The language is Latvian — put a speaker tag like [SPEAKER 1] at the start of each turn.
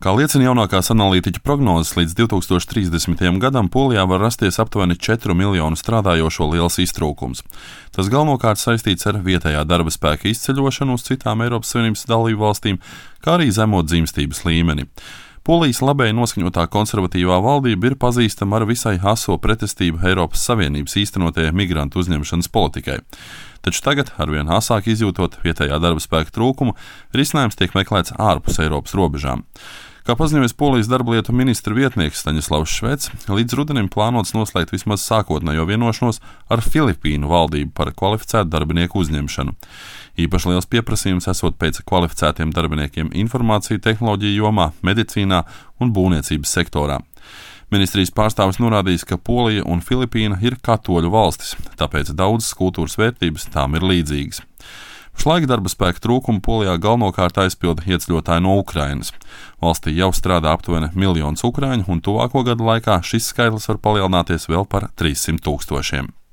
[SPEAKER 1] Kā liecina jaunākās analītiķu prognozes, līdz 2030. gadam Polijā var rasties aptuveni 4 miljonu strādājošo liels iztrūkums. Tas galvenokārt saistīts ar vietējā darba spēka izceļošanu uz citām Eiropas Savienības dalību valstīm, kā arī zemo dzimstības līmeni. Polijas labēji noskaņotā konservatīvā valdība ir pazīstama ar visai aso pretestību Eiropas Savienības īstenotajai migrantu uzņemšanas politikai. Taču tagad, arvien asāk izjūtot vietējā darba spēka trūkumu, risinājums tiek meklēts ārpus Eiropas robežām. Kā paziņoja Polijas darblietu ministra vietnieks Staņislavs Švecs, līdz rudenim plānots noslēgt vismaz sākotnējo vienošanos ar Filipīnu valdību par kvalificētu darbinieku uzņemšanu. Īpaši liels pieprasījums esot pēc kvalificētiem darbiniekiem informāciju tehnoloģiju jomā, medicīnā un būvniecības sektorā. Ministrijas pārstāvis norādījis, ka Polija un Filipīna ir katoļu valstis, tāpēc daudzas kultūras vērtības tām ir līdzīgas. Pašlaik darba spēka trūkumu Polijā galvenokārt aizpilda ieceļotāji no Ukrainas. Valstī jau strādā aptuveni 1 miljons ukrāņu, un tuvāko gadu laikā šis skaitlis var palielināties vēl par 300 000.